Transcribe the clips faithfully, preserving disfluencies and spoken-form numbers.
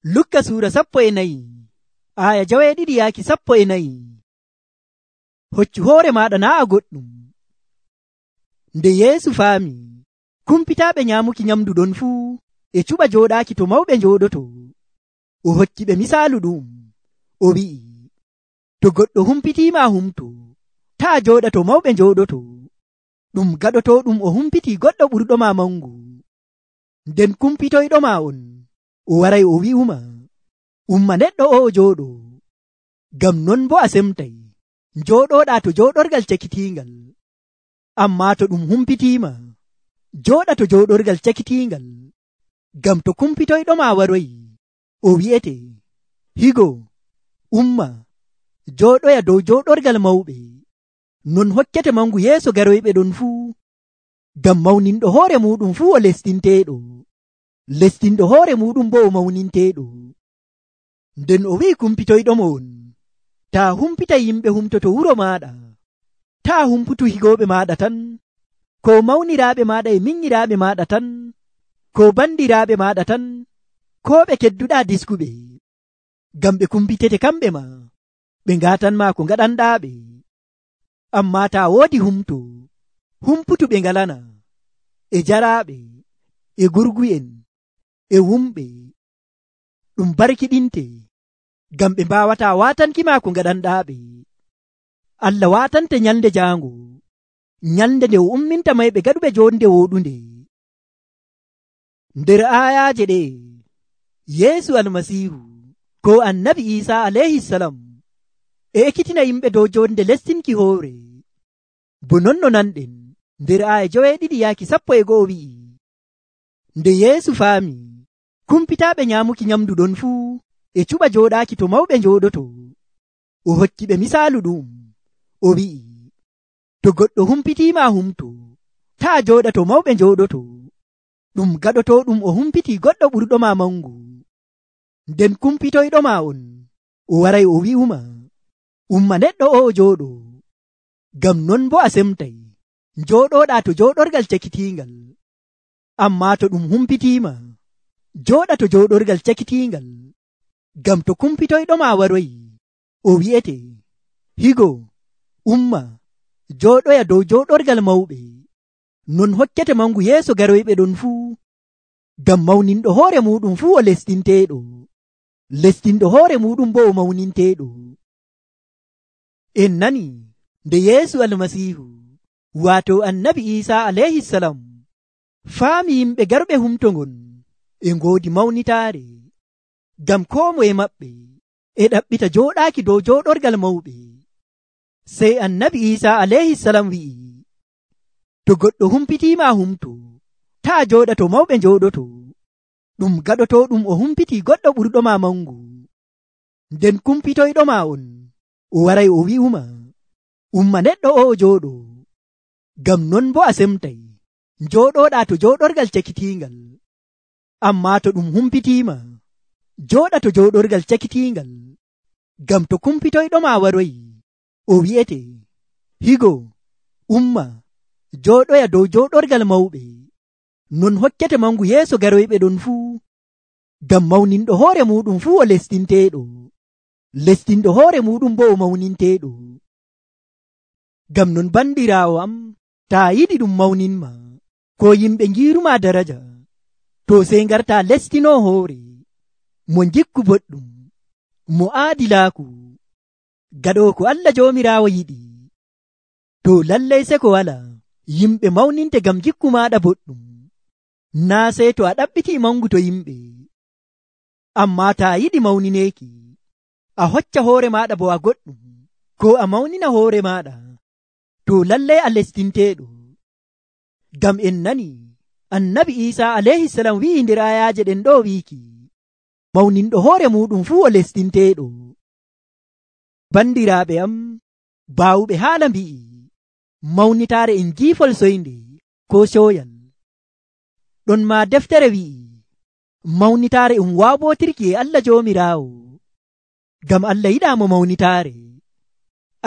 Lukka suura sappo e nayi aya jaweeɗiɗi yaaki sappo e nayi. Hoccu hoore maɗa naa a goɗɗum. Nde Yeesu faami kumpitaaɓe nyaamuki nyamdu ɗon fuu e cuɓa jooɗaaki to mawɓe njooɗoto, o hokki ɓe misaalu ɗum, o wi'i, to goɗɗo humpitiima humto, taa jooɗa to mawɓe njooɗoto. Ɗum gaɗotooɗum o humpitii goɗɗo ɓurɗoma mangu. Nden kumpitoyɗoma on, o waray o wi'uma, umma neɗɗo o jooɗo. Ngam non bo a semtay njooɗoɗaa to jooɗorgal cakitiingal. Ammaa to ɗum humpitiima, jooɗa to jooɗorgal cakitiingal. Ngam to kumpitoyɗoma waroyi, o wi'ete, higo, umma, jooɗoya dow jooɗorgal mawɓe. Non hokkete mangu yeeso garoyɓe ɗon fuu. Ngam mawninɗo hoore muɗum fuu o lestinteeɗo, lestinɗo hoore muɗum bo o mawninteeɗo. Nden o wi'i kumpitoyɗomo on, taa humpita yimɓe humtoto wuro maɗa, taa humputu higooɓe maɗa tan, ko mawniraaɓe maɗa e minyiraaɓe maɗa tan, ko bandiraaɓe maɗa tan, ko ɓe kedduɗaa diskuɓe. Ngam ɓe kumpitete kamɓe ma, ɓe ngatanma ko ngaɗanɗaaɓe. Ammaa taa woodi humto, humputu ɓe ngalana, e jaraaɓe, e gurgu'en, e wumɓe. Ɗum barkiɗinte, ngam ɓe mbawataa watankima ko ngaɗanɗaaɓe. Allah watante nyalde jaango, nyalde nde o umminta mayɓe gaɗuɓe jonde woɗunde. Nder ayaje ɗe, Yeesu almasihu ko annabi Isa alayhi salam e ekkitina yimɓe dow jonde lestinki hoore. Bo non no nanɗen nder aya joweeɗiɗi yaaki sappo e go'o wi'i, nde Yeesu faami kumpitaaɓe nyaamuki nyamdu ɗon fuu e cuɓa jooɗaaki to mawɓe njooɗoto, o hokki ɓe misaalu ɗum, o wi'i, to goɗɗo humpitiima humto, taa jooɗa to mawɓe njooɗoto. Ɗum gaɗotooɗum o humpitii goɗɗo ɓurɗoma mangu. Nden kumpitoyɗoma on, o waray o wi'uma, umma neɗɗo o jooɗo. Ngam non bo a semtay njooɗoɗaa to jooɗorgal cakitiingal. Ammaa to ɗum humpitiima, jooɗa to jooɗorgal cakitiingal. Ngam to kumpitoyɗoma waroyi, o wi'ete, higo, umma, jooɗoya dow jooɗorgal mawɓe. Non hokkete mangu yeeso garoyɓe ɗon fuu. Ngam mawninɗo hoore muɗum fuu o lestinteeɗo, lestinɗo hoore muɗum bo o mawninteeɗo. En nani nde Yeesu almasihu waato annabi Isa alayhi salam faami yimɓe garuɓe humto ngon e ngoodi mawnitaare. Ngam koo moye maɓɓe e ɗaɓɓita jooɗaaki dow jooɗorgal mawɓe. Sey annabi Isa alayhi salam wi'i, to goɗɗo humpitiima humto, taa jooɗa to mawɓe njooɗoto. Ɗum gaɗotooɗum o humpitii goɗɗo ɓurɗoma mangu. Nden kumpitoyɗoma on, o waray o wi'uma, umma neɗɗo o jooɗo. Ngam non bo a semtay njooɗoɗaa to jooɗorgal cakitiingal. Ammaa to ɗum humpitiima, jooɗa to jooɗorgal cakitiingal. Ngam to kumpitoyɗoma waroyi, o wi'ete, higo, umma, jooɗoya dow jooɗorgal mawɓe. Non hokkete mangu yeeso garoyɓe ɗon fuu. Ngam mawninɗo hoore muɗum fuu o lestinteeɗo, lestinɗo hoore muɗum bo o mawninteeɗo. Ngam non bandiraawo am, taa yiɗi ɗum mawninma, ko yimɓe ngiiruma daraja, to sey ngarta lestino hoore, mo jikku boɗɗum, mo aadilaaku, gaɗo ko Allah joomiraawo yiɗi. To lallay seko wala yimɓe mawninte ngam jikku maɗa boɗɗum, naa sey to a ɗaɓɓiti mangu to yimɓe. Ammaa taa yiɗi mawnineeki, a hocca hoore maɗa bo a goɗɗum, ko a mawnina hoore maɗa, to lallay a lestinteeɗo. Ngam en nani annabi Isa alayhi salam wi'i nder ayaje ɗen ɗo wiiki, mawninɗo hoore muɗum fuu o lestinteeɗo. Bandiraaɓe am, baawuɓe haala mbi'i, mawnitaare en giifol soynde ko coyal. Ɗon ma deftere wi'i, mawnitaare um waabotirki e Allah joomiraawo. Ngam Allah yiɗaamo mawnitaare,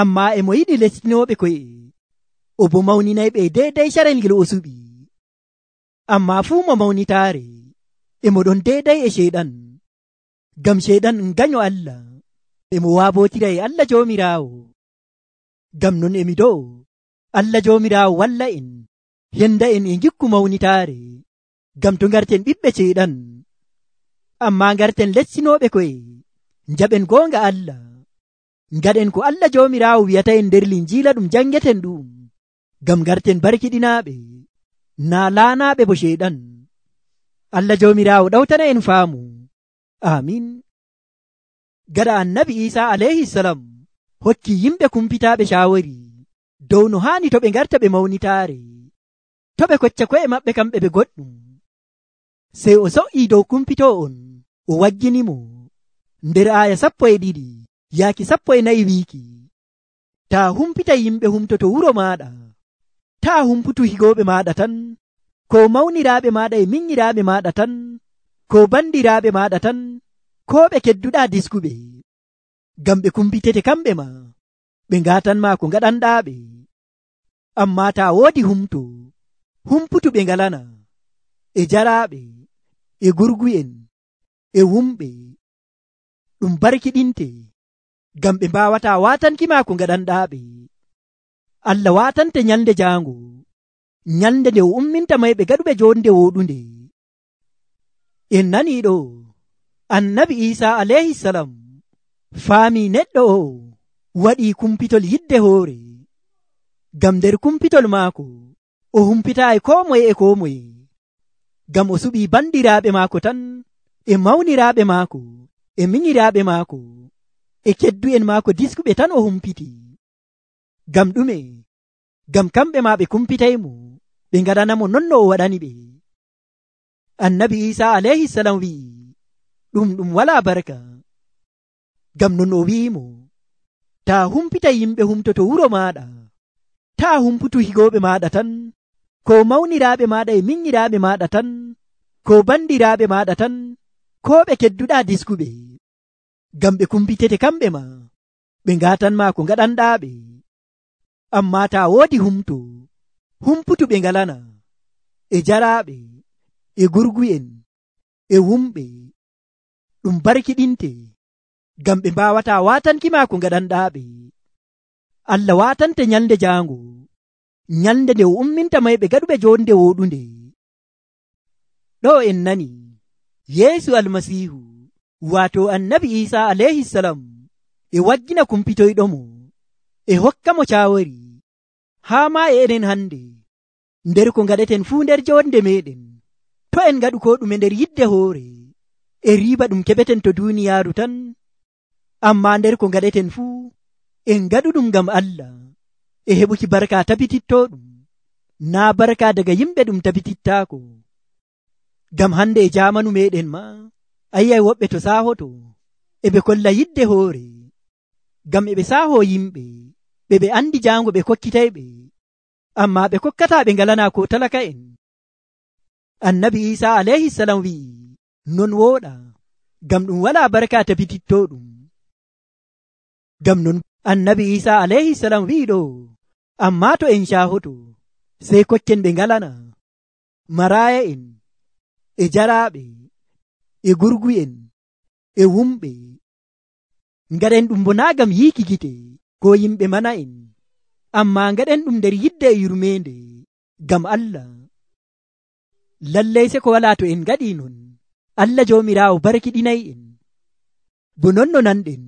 ammaa emo yiɗi lestinooɓe koye, o bo mawninayɓe deydey carel ngel o suɓi. Ammaa fuu mo mawnitaare, emo ɗon deydey e ceyɗan. gam sheyɗan en ganyo Allah emo waabotira e Allah joomiraawo. Gam non emi do'o Allah joomiraawo walla en henda en e gikku mawnitaare, gam to garten ɓiɓɓe sheyɗan amma garten lessinooɓe koye jaɓen goonga Allah, ngaɗen ko Allah joomiraawo wi'ata en nder linjiila ɗum jangeten ɗum, gam garten barkiɗinaaɓe naa laanaaɓe bo sheyɗan. Allah joomiraawo ɗawtana en faamu. Amin. Gaɗa annabi Isa alayhi salam hokki yimɓe kumpitaaɓe shaawari dow no haani to ɓe garta ɓe mawnitaare, to ɓe kocca ko'e maɓɓe kamɓe ɓe goɗɗum. Sey o so'ii dow kumpitoo on o wagginimo nder aaya sappo e ɗiɗi yaaki sappo e nayi wiiki, taa humpita yimɓe humtoto wuro maaɗa, taa humputu higooɓe maaɗa tan, ko mawniraaɓe maaɗa e minyiraaɓe maaɗa tan, ko bandiraaɓe maaɗa tan, ko ɓe kedduɗaa diskuɓe, gam ɓe kumpitete kamɓe ma ɓe ngatanma ko ngaɗanɗaaɓe. Amma taa woodi humto humputu ɓe ngalana e jaraaɓe e gurgu'en e wumɓe, ɗum barkiɗinte gam ɓe mbawata watankima ko ngaɗanɗaaɓe. Allah watante nyalde jaango, nyalde nde o umminta mayɓe gaɗuɓe jonde woɗunde. En nani ɗo annabi Isa alayhi salam faami neɗɗo o waɗi kumpitol yidde hoore, gam nder kumpitol maako o humpitaayi ko moye e ko moye, gam o suɓi bandiraaɓe maako tan e mawniraaɓe maako e minyiraaɓe maako e keddu'en maako diskuɓe tan o humpiti. Gam ɗume? Gam kamɓe ma ɓe kumpitaymo ɓe ngaɗanamo non no o waɗani ɓe. Annabi Isa alayhi salam wi'i ɗum ɗum wala barka, gam non o wi'imo taa humpita yimɓe humtoto wuro maɗa, taa humputu higooɓe maɗa tan, ko mawniraaɓe maɗa e minyiraaɓe maɗa tan, ko bandiraaɓe maɗa tan, ko ɓe kedduɗa diskuɓe, gam ɓe kumpitete kamɓe ma ɓe ngatanma ko ngaɗanɗaaɓe. Amma taa woodi humto humputu ɓe ngalana e jaraaɓe e gurgu'en e wumɓe, ɗum barkiɗinte gam ɓe mbawata watankima ko ngaɗanɗaaɓe. Allah watante nyalde jaango, nyalde nde o umminta mayɓe gaɗuɓe jonde woɗunde. Ɗo en nani Yeesu almasihu wato annabi Isa alayhi salam e waggina kumpitoyɗomo e hokkamo cawari haa ma e enen hande nder ko ngaɗeten fuu nder jonde meɗen, to en ngaɗu ko ɗume nder yidde hoore e riba ɗum keɓeten to duniyaaru tan, amma nder ko ngaɗeten fuu en ngaɗu ɗum ngam Allah e heɓuki barka tabititto ɗum, naa barka daga yimɓe ɗum tabitittaako. Gam hande e jamanu meɗen ma ayyay woɓɓe to sahoto eɓe kolla yidde hoore, gam eɓe saho yimɓe ɓe ɓe andi jango ɓe kokkitayɓe, amma ɓe kokkata ɓe ngalana ko talaka en. Annabi Isa alayhi salam wi'i non woɗa, gam ɗum wala barka tabititto ɗum. Gam non annabi Isa alayhi salam wi'i ɗo, amma to en shahoto sey kokken ɓe ngalana maraya en e jaraaɓe e gurgu'en e wumɓe, ngaɗen ɗum bo naa gam yiiki gite ko yimɓe mana en, amma ngaɗen ɗum nder yidde e yurmende gam Allah. Lallay se ko wala to en ngaɗi non Allah joomiraawo barkiɗinay en. Bo non no nanɗen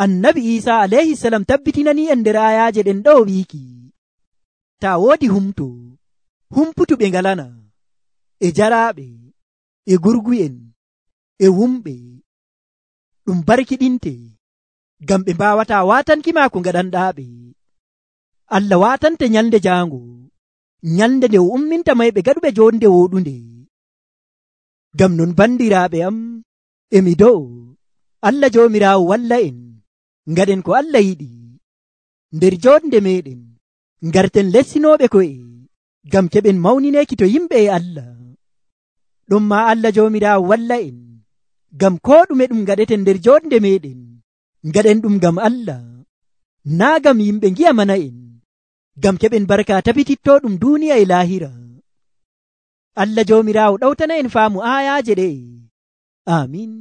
annabi Isa alayhi salam tabbitinani en nder ayaje ɗen ɗo wiiki taa woodi humto humputu ɓe ngalana e jaraaɓe e gurgu'en e wumɓe, ɗum barkiɗinte gam ɓe mbawata watankima ko ngaɗanɗaaɓe. Allah watante nyalde jaango, nyalde nde o umminta mayɓe gaɗuɓe jonde woɗunde. Gam non bandiraaɓe am emi do'o Allah joomiraawo walla en ngaɗen ko Allah yiɗi nder jonde meɗen, ngarten lessinoɓe ko'e gam keɓen mawnineki to yimɓe e Allah. ɗum ma Allah joomiraawo walla en gam ko ɗume ɗum ngaɗeten nder jonde meɗen ngaɗen ɗum gam Allah, naa gam yimɓe ngiya mana en, gam keɓen barka tabititto ɗum duniya e lahira. Allah joomiraawo ɗawtana en faamu ayaje ɗe. Amin.